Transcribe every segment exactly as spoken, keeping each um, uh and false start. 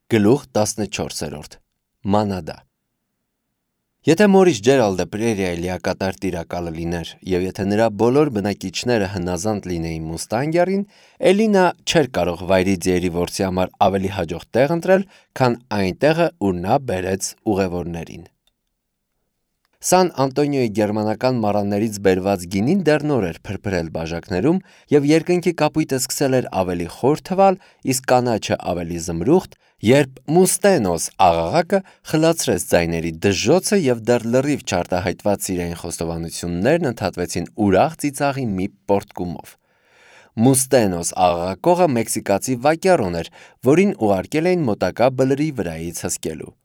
Գլուխ տասնչորսերորդ Մանադա Եթե Մորիս Ջերալդը Պրերիայի լիակատար տիրակալը լիներ և եթե նրա բոլոր բնակիչները հնազանդ լինեին Մուստանգերին, էլի նա չէր կարող վայրի ձիերի որսի համար ավելի հաջող տեղ ընտրել, քան այն տեղը, ուր նա բերեց ուղևորներին։ Սան Անտոնիոյի գերմանական մառաններից բերված գինին դեռ նոր էր փրփրել բաժակներում և երկնքի կապույտը սկսել էր ավելի խոր թվալ, իսկ կանաչը ավելի զմրուխտ, երբ Մուստենոս աղաղակը խլացրեց ձայների դժոխքը և դեռ լրիվ չարտահայտված սիրային խոստովանություններն ընդհատվեցին ուրախ ծիծաղի մի պոռթկումով։ Մուստենոս աղաղակողը մեքսիկացի վակյառոն էր, որին ուղարկել էին մոտակա բլրի վրայից հսկելու։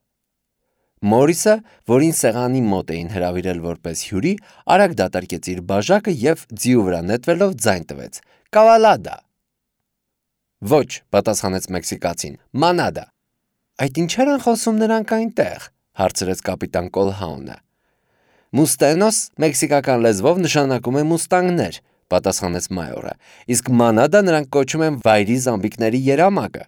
Մորիսը, որին սեղանի մոտ էին հրավիրել որպես հյուրի, արագ դատարկեց իր բաժակը և ձիու վրա նետվելով ձայն տվեց. «Կավալադա»։ «Ոչ», պատասխանեց մեքսիկացին, «մանադա»։ «Այդ ինչեր են խոսում նրանք այնտեղ», հարցրեց կապիտան Կոլհաունը։ «Մուստենոս մեքսիկական լեզվով նշանակում է մուստանգներ», պատասխանեց մայորը, իսկ մանադա նրանք կոչում են վայրի զամբիկների երամակը։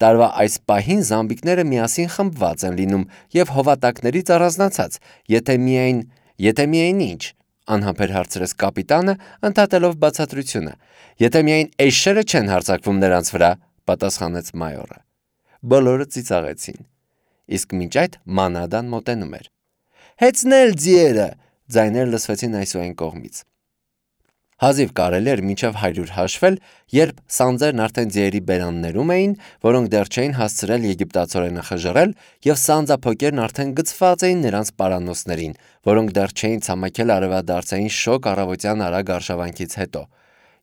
Տարվա այս պահին զամբիկները միասին խմբված են լինում և հովատակներից առանձնացած, եթե միայն, եթե միայն ինչ, անհամբեր հարցրեց կապիտանը, ընդհատելով բացատրությունը։ Եթե միայն էշերը չեն հարձակվում նրանց վրա, պատասխանեց մայորը։ Բոլորը ծիծաղեցին։ Իսկ մինչ այդ մանադան մոտենում էր։ «Հեծնել ձիերը», ձայներ լսվեցին այս ու այն կողմից։ Հազիվ կարելի էր մինչև հարյուր հաշվել, երբ սանձերն արդեն ձիերի բերաններում էին, որոնք դեռ չէին հասցրել եգիպտացորենը խժռել, և սանձափոկերն արդեն գցված էին նրանց պարանոցներին, որոնք դեռ չէին ցամաքել արևադարձային շոգ առավոտյան արագ արշավանքից հետո,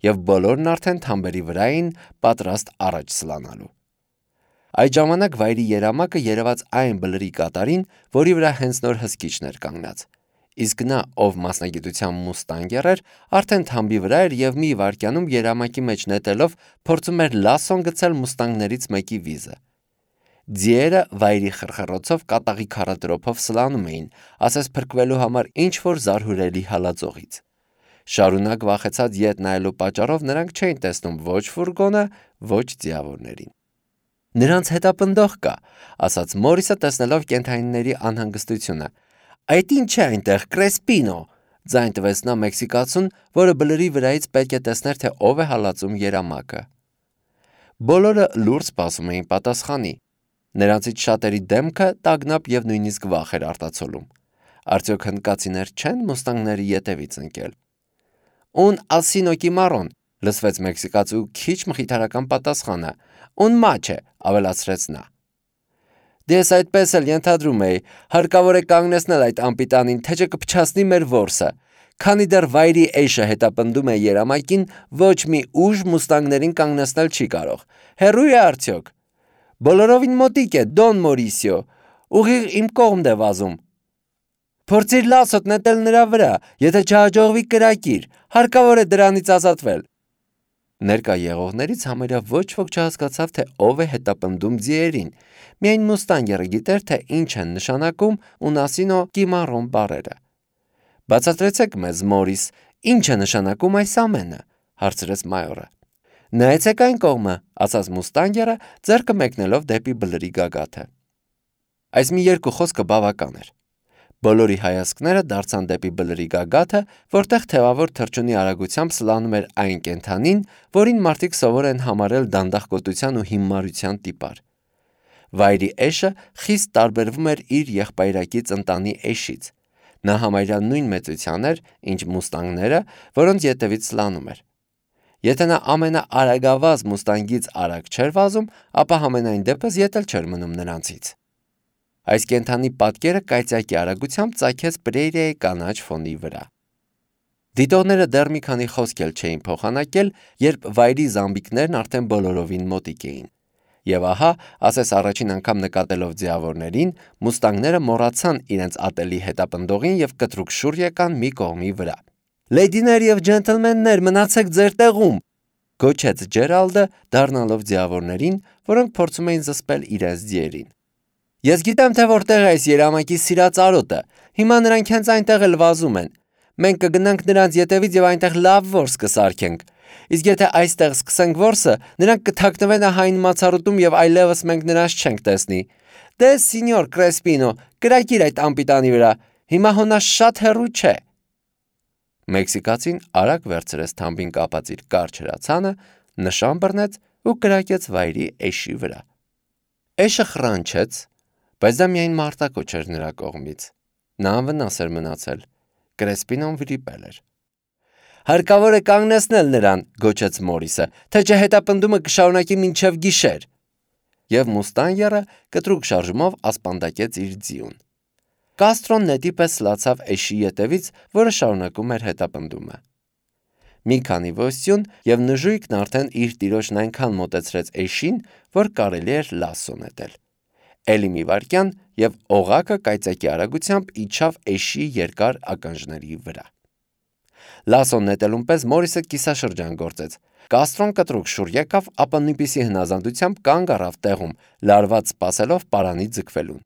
և բոլորն արդեն թամբերի վրա էին, պատրաստ առաջ սլանալու։ Այդ ժամանակ վայրի երամակը երևաց այն բլրի կատարին, որի վրա հենց նոր հսկիչն էր կանգնած։ Իսկ նա, ով մասնագիտությամբ մուստանգեր էր, արդեն թամբի վրա էր և մի վայրկյանում երամակի մեջ նետելով փորձում էր լասոն գցել մուստանգներից մեկի վիզը։ Ձիերը վայրի խրխռոցով կատաղի քառատրոփով սլանում էին, ասես փրկվելու համար ինչ-որ զարհուրելի հալածողից։ Շարունակ վախեցած ետ նայելու պատճառով նրանք չէին տեսնում ոչ ֆուրգոնը, ոչ ձիավորներին։ «Նրանց հետապնդող կա», ասաց Մորիսը, տեսնելով կենդանիների անհանգստությունը։ «Այդ ինչ է այնտեղ, Կրեսպինո», ձայն տվեց նա մեքսիկացուն, որը բլրի վրայից պետք է տեսներ, թե ով է հալածում երամակը։ Բոլորը լուրջ սպասում էին պատասխանի։ Նրանցից շատերի դեմքը տագնապ և նույնիսկ վախ էր արտացոլում։ Արդյոք հնդկացիներ չեն մուստանգների ետևից ընկել։ «Un asino quimarron», լսվեց մեքսիկացու քիչ մխիթարական պատասխանը։ «Un mache», ավելացրեց նա։ «Դե ես այդպես էլ ենթադրում էի, հարկավոր է կանգնեցնել այդ անպիտանին, թե չէ կփչացնի մեր որսը։ Քանի դեռ վայրի էշը հետապնդում է երամակին, ոչ մի ուժ մուստանգներին կանգնեցնել չի կարող։ Հեռու է արդյոք։ Բոլորովին մոտիկ է, Դոն Մորիսիո, ուղիղ իմ կողմն է վազում։ Փորձիր լասոտ նետել նրա վրա, եթե չհաջողվի կրակիր, հարկավոր է դրանից ազատվել»։ Ներկա եղողներից համարյա ոչ ոք չհասկացավ, թե ով է հետապնդում ձիերին։ Միայն մուստանգերը գիտեր, թե ինչ են նշանակում «un asino quimarron» բառերը։ «Բացատրեցեք մեզ, Մորիս, ինչ է նշանակում այս ամենը», հարցրեց մայորը։ «Նայեցեք այն կողմը», ասաց մուստանգերը, ձեռքը մեկնելով դեպի բլրի գագաթը։ Այս մի երկու խոսքը բավական էր։ Բոլորի հայացքները դարձան դեպի բլրի գագաթը, որտեղ թևավոր թռչունի արագությամբ սլանում էր այն կենդանին, որին մարդիկ սովոր են համարել դանդաղկոտության ու հիմարության տիպար։ Վայրի էշը խիստ տարբերվում էր իր եղբայրակից ընտանի էշից։ Նա համարյա նույն մեծության էր, ինչ մուստանգները, որոնց ետևից սլանում էր։ Եթե նա ամենաարագավազ մուստանգից արագ չէր վազում, ապա համենայն դեպս ետ էլ չէր մնում նրանցից։ Այս կենդանի պատկերը կայծակի արագությամբ ծագեց Պրերիայի կանաչ ֆոնի վրա։ Դիտողները դեռ մի քանի խոսք էլ չէին փոխանակել, երբ վայրի զամբիկներն արդեն բոլորովին մոտիկ էին։ Եվ ահա, ասես առաջին անգամ նկատելով ձիավորներին, մուստանգները մոռացան իրենց ատելի հետապնդողին և կտրուկ շուռ եկան մի կողմի վրա։ «Լեյդիներ և ջենտլմեններ, մնացեք ձեր տեղում», գոչեց Ջերալդը, դառնալով ձիավորներին, որոնք փորձում էին զսպել իրենց ձիերին։ «Ես գիտեմ, թե որտեղ է այս երամակի սիրած արոտը։ Հիմա նրանք հենց այնտեղ էլ վազում են։ Մենք կգնանք նրանց ետևից և այնտեղ լավ որս կսարքենք։ Իսկ եթե այստեղ սկսենք որսը, նրանք կթաքնվեն հայն մացառուտում եւ այլևս մենք նրանց չենք տեսնի։ Դե սինյոր Կրեսպինո, կրակիր այդ անպիտանի վրա, հիմա հոնա շատ հեռու չէ։ Մեքսիկացին արագ վերցրեց թամբին կապած իր կարճ հրացանը, նշան բռնեց ու կրակեց վայրի էշի վրա։ Էշը խռանչեց, բայց դա միայն մարտակոչ էր նրա կողմից։ Նա անվնաս էր մնացել։ Կրեսպինոն վրիպել էր։ Հարկավոր է կանգնեցնել նրան, գոչեց Մորիսը, թե չէ հետապնդումը կշարունակի մինչև գիշեր։ Եվ Մուստանգերը կտրուկ շարժումով ասպանդակեց իր ձիուն։ Կաստրոն նետի պես լացավ էշի ետևից, որը շարունակում էր հետապնդումը։ Մի քանի ոստյուն և նժույգն արդեն իր տիրոջն այնքան մոտեցրեց էշին, որ կարելի էր լասո նետել։ Էլի մի վայրկյան և օղակը կայծակի արագությամբ իջավ էշի երկար ականջների վրա։ Լասոն նետելուն պես Մորիսը կիսաշրջան գործեց։ Կաստրոն կտրուկ շուռ եկավ, ապա նույնպիսի հնազանդությամբ կանգ առավ տեղում, լարված սպասելով պարանի ձգվելուն։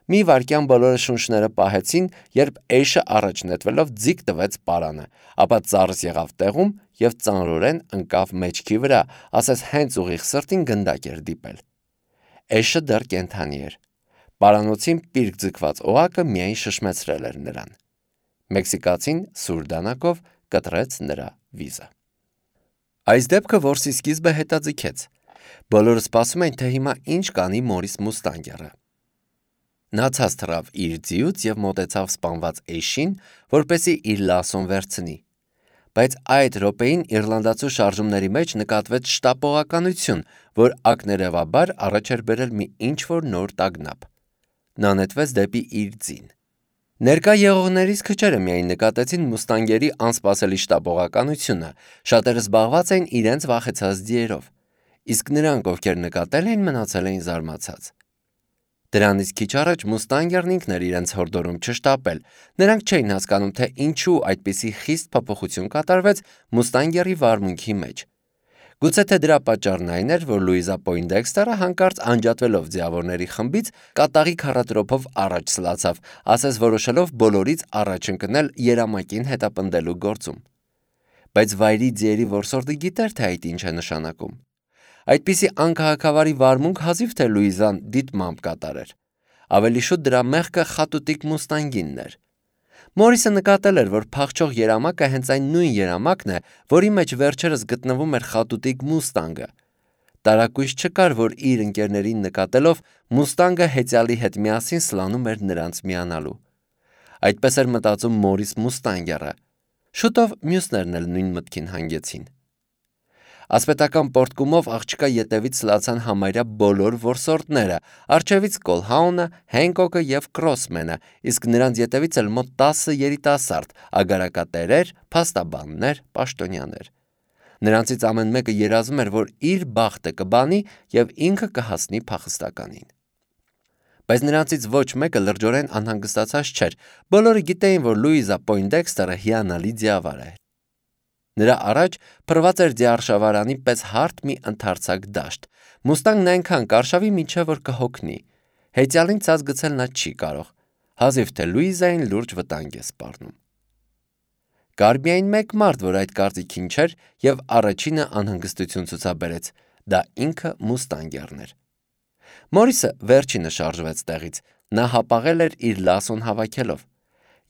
Մի վայրկյան բոլորը շունչները պահեցին, երբ էշը առաջ նետվելով ձիգ տվեց պարանը, ապա ծառս եղավ տեղում և ծանրորեն ընկավ մեջքի վրա, ասես հենց ուղիղ սրտին գնդակ էր դիպել։ Էշը դեռ կենդանի էր։ Պարանոցին պիրկ ձգված օղակը միայն շշմեցրել էր նրան։ Մեքսիկացին սուր դանակով կտրեց նրա վիզը։ Այս դեպքը որսի սկիզբը հետաձգեց։ Բոլորը սպասում էին, թե հիմա ինչ կանի Մորիս Մուստանգերը։ Նա ցած թռավ իր ձիուց և մոտեցավ սպանված էշին, որպեսզի իր լասոն վերցնի։ Բայց այդ րոպեին իռլանդացու շարժումների մեջ նկատվեց շտապողականություն, որ ակներևաբար առաջ էր բերել մի ինչ-որ նոր տագնապ։ Նա նետվեց դեպի իր ձին։ Ներկա եղողներից քչերը միայն նկատեցին Մուստանգերի անսպասելի շտապողականությունը, շատերը զբաղված էին իրենց վախեցած ձիերով, իսկ նրանք, ովքեր նկատել էին, մնացել էին զարմացած։ Դրանից քիչ առաջ Մուստանգերն ինքն էր իրենց հորդորում չշտապել, նրանք չէին հասկանում, թե ինչու այդպիսի խիստ փոփոխություն կատարվեց Մուստանգերի վարմունքի մեջ։ Գուցե թե դրա պատճառն այն էր, որ Լուիզա Պոյնդեքստերը հանկարծ անջատվելով ձիավորների խմբից կատաղի քառատրոփով առաջ սլացավ, ասես որոշելով բոլորից առաջ ընկնել երամակին հետապնդելու գործում։ Բայց վայրի ձիերի որսորդը գիտեր, թե այդ ինչ է նշանակում։ Այդպիսի անքաղաքավարի վարմունք հազիվ թե Լուիզան դիտմամբ կատարեր։ Ավելի շուտ դրա մեղքը խատուտիկ Մուստանգինն էր։ Մորիսը նկատել էր, որ փախչող երամակը հենց այն նույն երամակն է, որի մեջ վերջերս գտնվում էր խատուտիկ Մուստանգը։ Տարակույս չկար, որ իր ընկերներին նկատելով Մուստանգը հեծյալի հետ միասին սլանում էր նրանց միանալու։ Այդպես էր մտածում Մորիս Մուստանգերը։ Շուտով մյուսներն էլ նույն մտքին հանգեցին։ Ասպետական պոռթկումով աղջկա ետևից սլացան համարյա բոլոր որսորդները, առջևից Կոլհաունը, Հենկոկը և Քրոսմենը, իսկ նրանց ետևից էլ մոտ տասը երիտասարդ, ագարակատերեր, փաստաբաններ, պաշտոնյաներ։ Նրանցից ամեն մեկը երազում էր, որ իր բախտը կբանի և ինքը կհասնի փախստականին։ Բայց նրանցից ոչ մեկը լրջորեն անհանգստացած չէր, բոլորը գիտեին, որ Լուիզա Պոյնդեքստերը հիանալի ձիավար է։ Նրա առաջ փռված էր ձիարշավարանի պես հարթ մի ընդարձակ դաշտ։ Մուստանգն այնքան կարշավի, մինչև որ կհոգնի։ Հեծյալին ցած գցել նա չի կարող, հազիվ թե Լուիզային լուրջ վտանգ է սպառնում։ Կար միայն մեկ մարդ, որ այդ կարծիքին չէր և առաջինը անհանգստություն ցուցաբերեց, դա ինքը Մուստանգերն էր։ Մորիսը վերջինը շարժվեց տեղից, նա հապաղել էր իր լասոն հավաքելով։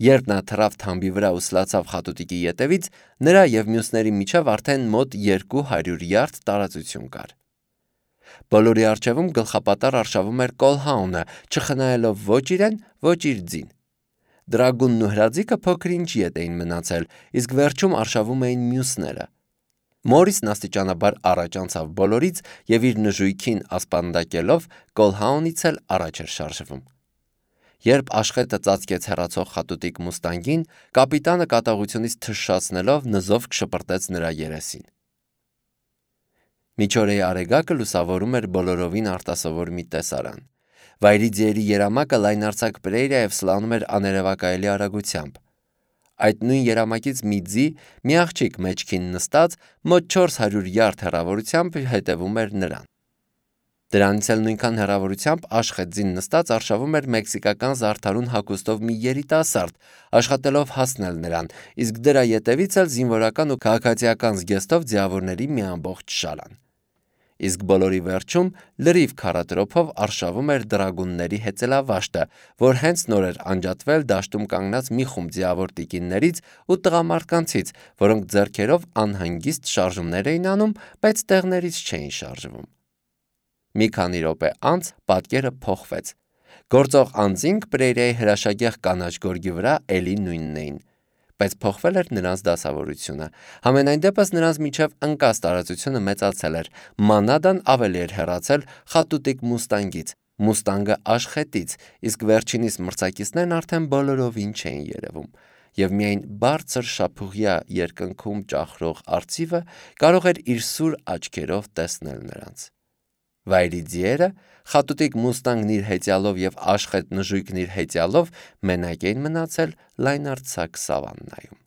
Երբ նա թռավ թամբի վրա ու սլացավ խատուտիկի ետևից, նրա և մյուսների միջև արդեն մոտ երկու հարյուր յարդ տարածություն կար։ Բոլորի առջևում գլխապատառ արշավում էր Կոլհաունը, չխնայելով ոչ իրեն, ոչ իր ձին։ Դրագունն ու հրաձիկը փոքր-ինչ ետ էին մնացել, իսկ վերջում արշավում էին մյուսները։ Մորիսն աստիճանաբար առաջ անցավ բոլորից և իր նժույգին ասպանդակելով Կոլհաունից էլ առաջ էր շարժվում։ Երբ աշխետը ծածկեց հեռացող խատուտիկ Մուստանգին, կապիտանը կատաղությունից թշշացնելով նզով կշպրտեց նրա երեսին։ Միջօրեի արեգակը լուսավորում էր բոլորովին արտասովոր մի տեսարան։ Վայրի ձիերի երամակը լայնարձակ պրերիա և սլանում էր աներևակայելի արագությամբ։ Այդ նույն երամակից մի ձի, մի աղջիկ մեջքին նստած, մոտ չորս հարյուր յարդ հեռավորությամբ հետևում էր նրան։ Դրանից էլ նույնքան հեռավորությամբ Աշխեդզին նստած արշավում էր մեքսիկական զարդարուն հագուստով մի երիտասարդ, աշխատելով հասնել նրան, իսկ դրա ետևից էլ զինվորական ու քաղաքացիական զգեստով ձիավորների մի ամբողջ շալան։ Իսկ բոլորի վերջում լրիվ քառատրոփով արշավում էր դրագունների հեծելավաշտը, որ հենց նոր էր անջատվել դաշտում կանգնած մի խումբ ձիավոր տիկիններից ու տղամարդկանցից, որոնք ձեռքերով անհանգիստ շարժումներ էին անում, բայց տեղներից չէին շարժվում։ Մի քանի րոպե անց պատկերը փոխվեց։ Գործող անձինք Պրերիայի հրաշագեղ կանաչ գորգի վրա էլի նույնն էին, բայց փոխվել էր նրանց դասավորությունը։ Համենայն դեպս նրանց միջև ընկած տարածությունը մեծացել էր, Մանադան ավելի էր հեռացել խատուտիկ Մուստանգից, Մուստանգը Աշխետից, իսկ վերջինիս մրցակիցներն արդեն բոլորովին չէին երևում, եւ միայն բարձր շափուղյա երկնքում ճախրող արծիվը կարող էր իր սուր աչքերով տեսնել նրանց։ Վայրի ձիերը, խատուտիկ Մուստանգն իր հեծյալով եւ Աշխետ նժույգն իր հեծյալով մենակ էին մնացել լայնարձակ սավաննայում։